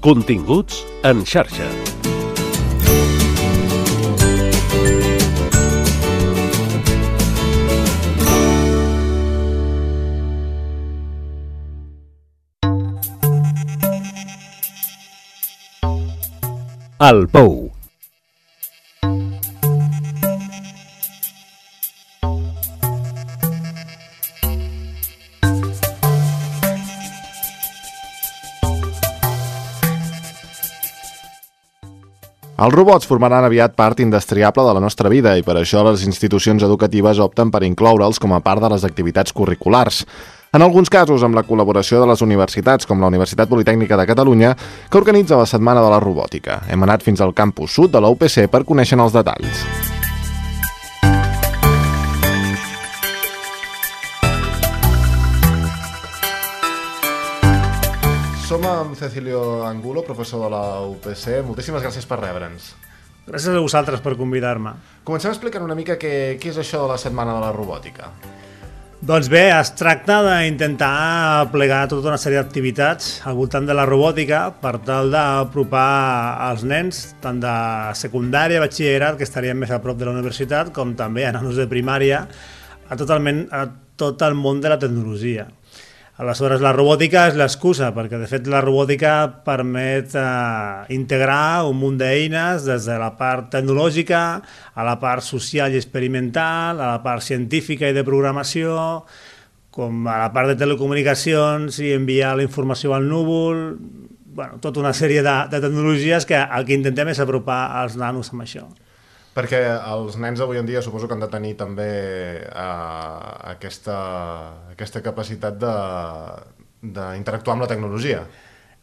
Continguts en xarxa. El Pou. Els robots formaran aviat part indestriable de la nostra vida i per això les institucions educatives opten per incloure'ls com a part de les activitats curriculars. En alguns casos, amb la col·laboració de les universitats, com la Universitat Politècnica de Catalunya, que organitza la Setmana de la Robòtica. Hem anat fins al campus sud de la UPC per conèixer els detalls. Som amb Cecilio Angulo, professor de la UPC. Moltíssimes gràcies per rebre'ns. Gràcies a vosaltres per convidar-me. Comencem explicant una mica què és això de la Setmana de la Robòtica. Doncs bé, es tracta d'intentar plegar tota una sèrie d'activitats al voltant de la robòtica per tal d'apropar als nens, tant de secundària, batxillerat, que estarien més a prop de la universitat, com també a nanos de primària, a tot el món de la tecnologia. Aleshores, la robòtica és l'excusa, perquè de fet la robòtica permet integrar un munt d'eines des de la part tecnològica a la part social i experimental, a la part científica i de programació, com a la part de telecomunicacions i enviar la informació al núvol, tota una sèrie de tecnologies que el que intentem és apropar als nanos amb això. Perquè els nens avui en dia suposo que han de tenir també aquesta capacitat d'interactuar amb la tecnologia.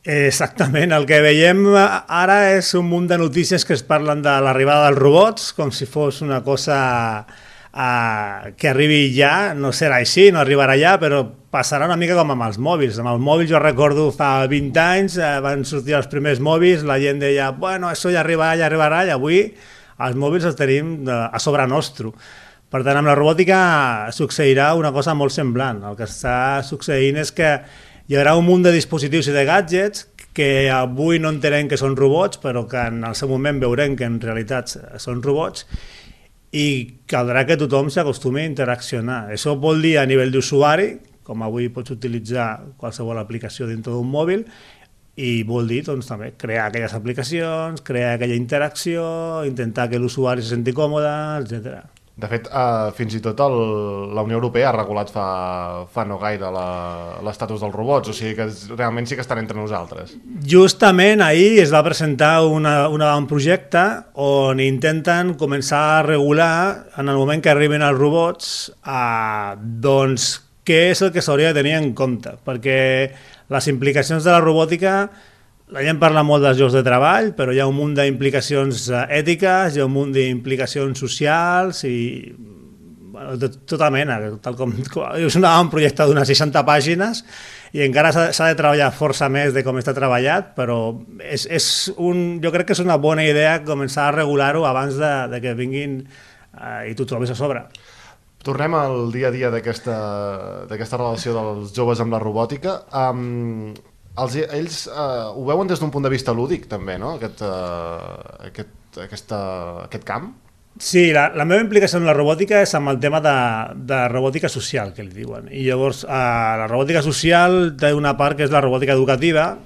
Exactament, el que veiem ara és un munt de notícies que es parlen de l'arribada dels robots, com si fos una cosa que arribi ja, no serà així, no arribarà ja, però passarà una mica com amb els mòbils. Amb els mòbils jo recordo fa 20 anys, van sortir els primers mòbils, la gent deia, bueno, això ja arribarà, i avui els mòbils els tenim a sobre nostre. Per tant, amb la robòtica succeirà una cosa molt semblant. El que està succeint és que hi haurà un munt de dispositius i de gadgets que avui no entenem que són robots, però que en el seu moment veurem que en realitat són robots, i caldrà que tothom s'acostumi a interaccionar. Això vol dir a nivell d'usuari, com avui pots utilitzar qualsevol aplicació dintre d'un mòbil, i vol dir també crear aquelles aplicacions, crear aquella interacció, intentar que l'usuari se senti còmode, etc. De fet, fins i tot la Unió Europea ha regulat fa no gaire l'estatus dels robots, o sigui que realment sí que estan entre nosaltres. Justament ahir es va presentar un projecte on intenten començar a regular, en el moment que arriben els robots, doncs què és el que s'hauria de tenir en compte, perquè les implicacions de la robòtica, la gent parla molt dels llocs de treball, però hi ha un munt d'implicacions ètiques, hi ha un munt d'implicacions socials i de tota mena. És un projecte d'unes 60 pàgines i encara s'ha de treballar força més de com està treballat, però jo crec que és una bona idea començar a regular-ho abans de que vinguin i t'ho trobis a sobre. Tornem al dia a dia d'aquesta relació dels joves amb la robòtica. Ells ho veuen des d'un punt de vista lúdic, també, no? Aquest camp? Sí, la meva implicació en la robòtica és amb el tema de robòtica social, que li diuen. I llavors, la robòtica social té una part que és la robòtica educativa,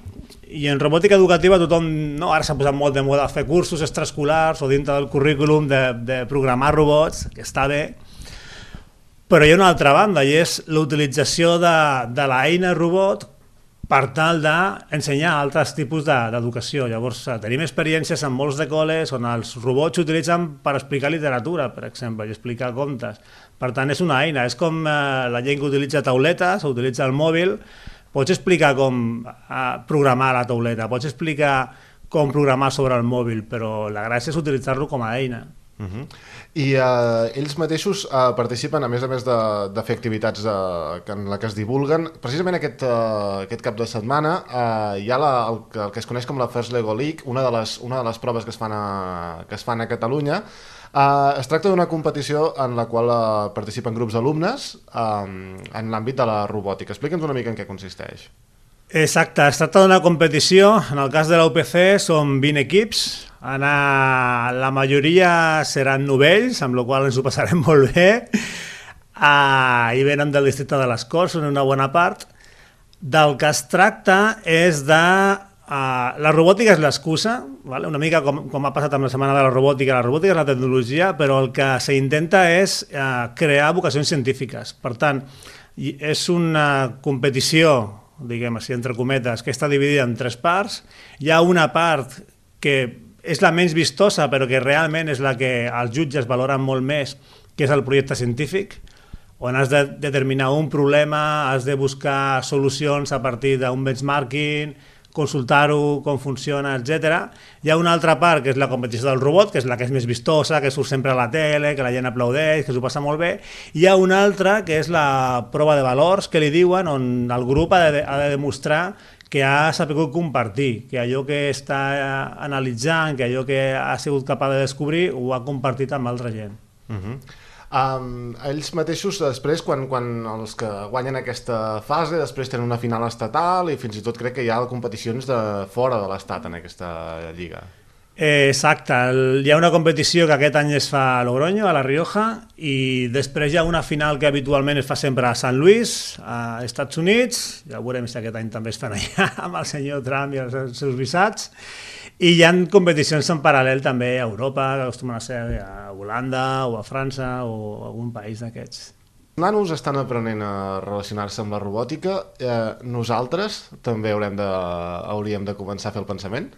i en robòtica educativa tothom, ara s'ha posat molt de moda fer cursos extraescolars o dintre del currículum de programar robots, que està bé, però hi ha una altra banda, i és l'utilització de l'eina robot per tal d'ensenyar altres tipus d'educació. Llavors, tenim experiències en molts de col·les on els robots s'utilitzen per explicar literatura, per exemple, i explicar contes. Per tant, és una eina, és com la gent que utilitza tauletes o utilitza el mòbil. Pots explicar com programar la tauleta, pots explicar com programar sobre el mòbil, però la gràcia és utilitzar-lo com a eina. I ells mateixos participen, a més de fer activitats en la que es divulguen. Precisament aquest cap de setmana hi ha el que es coneix com la First Lego League, una de les proves que es fan a Catalunya. Es tracta d'una competició en la qual participen grups d'alumnes en l'àmbit de la robòtica. Explica'ns una mica en què consisteix. Exacte, es tracta d'una competició. En el cas de la UPC són 20 equips. La majoria seran novells, amb la qual ens ho passarem molt bé. I venen del districte de les Corts, són una bona part. Del que es tracta és de... la robòtica és l'excusa, vale? Una mica com ha passat amb la setmana de la robòtica és la tecnologia, però el que s'intenta és crear vocacions científiques. Per tant, és una competició, diguem així, entre cometes, que està dividida en 3 parts. Hi ha una part que és la menys vistosa, però que realment és la que els jutges valoren molt més, que és el projecte científic, on has de determinar un problema, has de buscar solucions a partir d'un benchmarking, consultar-ho, com funciona, etc. Hi ha una altra part, que és la competició del robot, que és la que és més vistosa, que surt sempre a la tele, que la gent aplaudeix, que s'ho passa molt bé. Hi ha una altra, que és la prova de valors, que li diuen, on el grup ha de demostrar que ha sabut compartir, que allò que està analitzant, que allò que ha sigut capaç de descobrir, ho ha compartit amb altra gent. Ells mateixos després, quan els que guanyen aquesta fase, després tenen una final estatal i fins i tot crec que hi ha competicions de fora de l'estat en aquesta lliga. Exacte, hi ha una competició que aquest any es fa a Logroño, a La Rioja, i després hi ha una final que habitualment es fa sempre a Sant Luis, a Estats Units. Ja veurem si aquest any també es fan allà amb el senyor Trump i els seus visats. I hi ha competicions en paral·lel també a Europa, que acostumen a ser a Holanda o a França o a algun país d'aquests. Els nanos estan aprenent a relacionar-se amb la robòtica. Nosaltres també hauríem de començar a fer el pensament?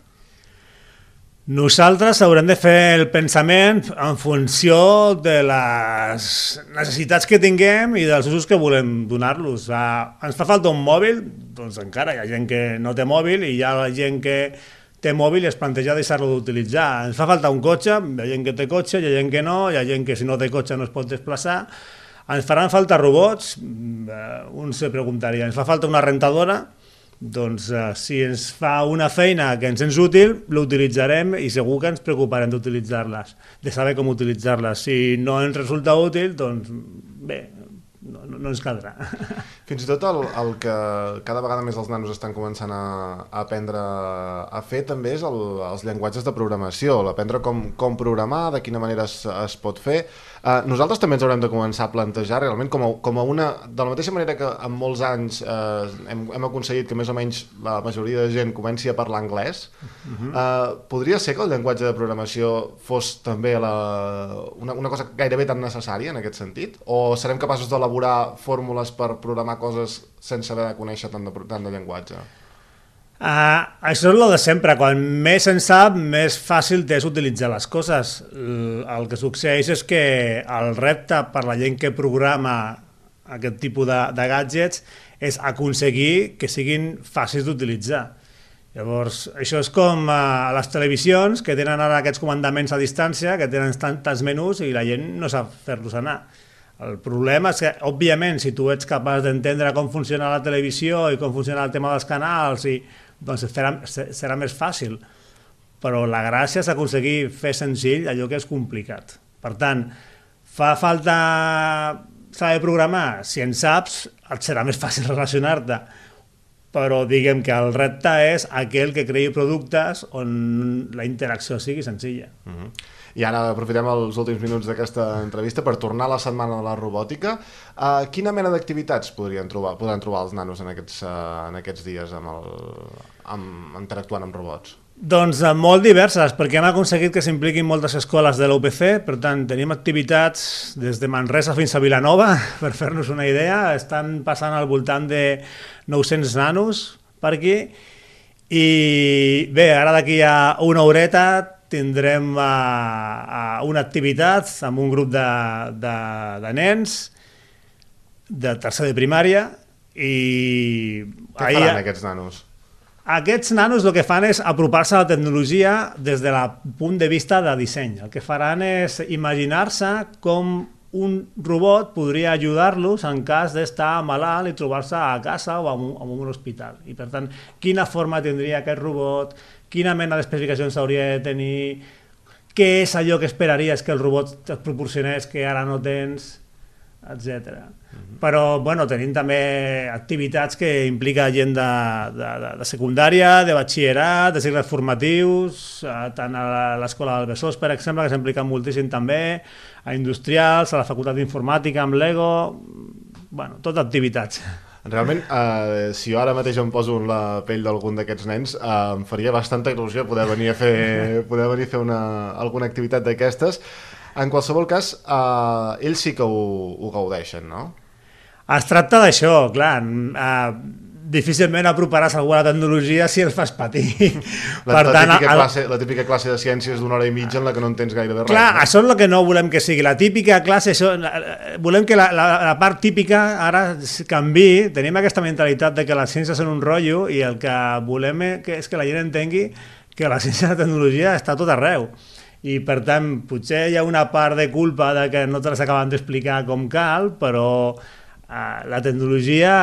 Nosaltres haurem de fer el pensament en funció de les necessitats que tinguem i dels usos que volem donar-los. Ens fa falta un mòbil? Doncs encara hi ha gent que no té mòbil i hi ha gent que té mòbil i es planteja deixar-lo d'utilitzar. Ens fa falta un cotxe, hi ha gent que té cotxe, hi ha gent que no, hi ha gent que si no té cotxe no es pot desplaçar. Ens faran falta robots? Un se preguntaria. Ens fa falta una rentadora? Doncs si ens fa una feina que ens és útil, l'utilitzarem i segur que ens preocuparem d'utilitzar-les, de saber com utilitzar-les. Si no ens resulta útil, doncs bé, no ens caldrà. Fins i tot el que cada vegada més els nanos estan començant a aprendre a fer també és els llenguatges de programació, aprendre com programar, de quina manera es pot fer. Nosaltres també ens haurem de començar a plantejar realment com a una... De la mateixa manera que en molts anys hem aconseguit que més o menys la majoria de gent comenci a parlar anglès, podria ser que el llenguatge de programació fos també una cosa gairebé tan necessària en aquest sentit? O serem capaços d'elaborar fórmules per programar coses sense haver de conèixer tant de llenguatge? Això és el de sempre. Quan més se'n sap, més fàcil és utilitzar les coses. El que succeeix és que el repte per la gent que programa aquest tipus de gadgets és aconseguir que siguin fàcils d'utilitzar. Llavors, això és com a les televisions, que tenen ara aquests comandaments a distància, que tenen tants menús i la gent no sap fer-los anar. El problema és que, òbviament, si tu ets capaç d'entendre com funciona la televisió i com funciona el tema dels canals, doncs serà més fàcil. Però la gràcia és aconseguir fer senzill allò que és complicat. Per tant, fa falta saber programar. Si en saps, et serà més fàcil relacionar-te. Però diguem que el repte és aquell que creï productes on la interacció sigui senzilla. I ara aprofitem els últims minuts d'aquesta entrevista per tornar a la setmana de la robòtica. Quina mena d'activitats podran trobar els nanos en aquests dies interactuant amb robots? Doncs molt diverses, perquè hem aconseguit que s'impliquin moltes escoles de l'UPC, per tant tenim activitats des de Manresa fins a Vilanova, per fer-nos una idea. Estan passant al voltant de 900 nanos per aquí, i bé, ara d'aquí a una horeta tindrem una activitat amb un grup de nens de tercer de primària. Què faran aquests nanos? Aquests nanos el que fan és apropar-se a la tecnologia des del punt de vista de disseny. El que faran és imaginar-se com un robot podria ajudar-los en cas d'estar malalt i trobar-se a casa o en un hospital. I per tant, quina forma tindria aquest robot, quina mena d'especificacions hauria de tenir, què és allò que esperaries que el robot et proporcionés que ara no tens. etc. Però bueno, tenim també activitats que implica gent de secundària, de batxillerat, de cicles formatius, tant a l'Escola del Besòs, per exemple, que s'implica moltíssim també, a industrials, a la Facultat d'Informàtica, amb l'EGO, bueno, tot activitats. Realment, si jo ara mateix em poso en la pell d'algun d'aquests nens, em faria bastanta il·lusió poder venir a fer alguna activitat d'aquestes. En qualsevol cas, ells sí que ho gaudeixen, no? Es tracta d'això, clar, difícilment aproparàs alguna tecnologia si els fas patir. La típica classe de ciències d'una hora i mitja en la que no entens gairebé res. Clar, això és el que no volem que sigui. La típica classe, volem que la part típica ara canviï. Tenim aquesta mentalitat de que les ciències són un rotllo i el que volem és que la gent entengui que la ciència i la tecnologia està a tot arreu. I per tant, potser hi ha una part de culpa de que no te les acaben d'explicar com cal, però la tecnologia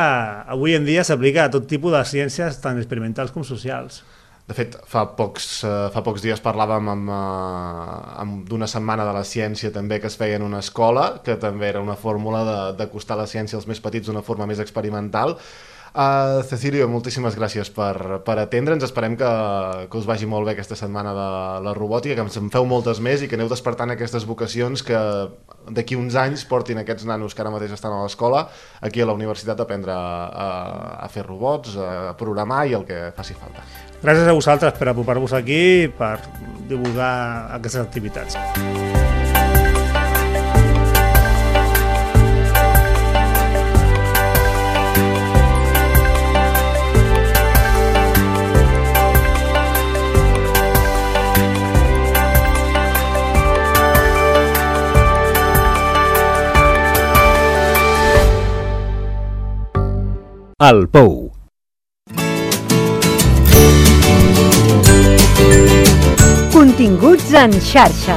avui en dia s'aplica a tot tipus de ciències tant experimentals com socials. De fet, fa pocs dies parlàvem d'una setmana de la ciència també que es feia en una escola, que també era una fórmula d'acostar la ciència als més petits d'una forma més experimental. Cecilio, moltíssimes gràcies per atendre'ns. Esperem que us vagi molt bé aquesta setmana de la robòtica, que en feu moltes més i que aneu despertant aquestes vocacions que d'aquí uns anys portin aquests nanos que ara mateix estan a l'escola aquí a la universitat a aprendre a fer robots, a programar i el que faci falta. Gràcies a vosaltres per apropar-vos aquí, per divulgar aquestes activitats. El Pou. Continguts en xarxa.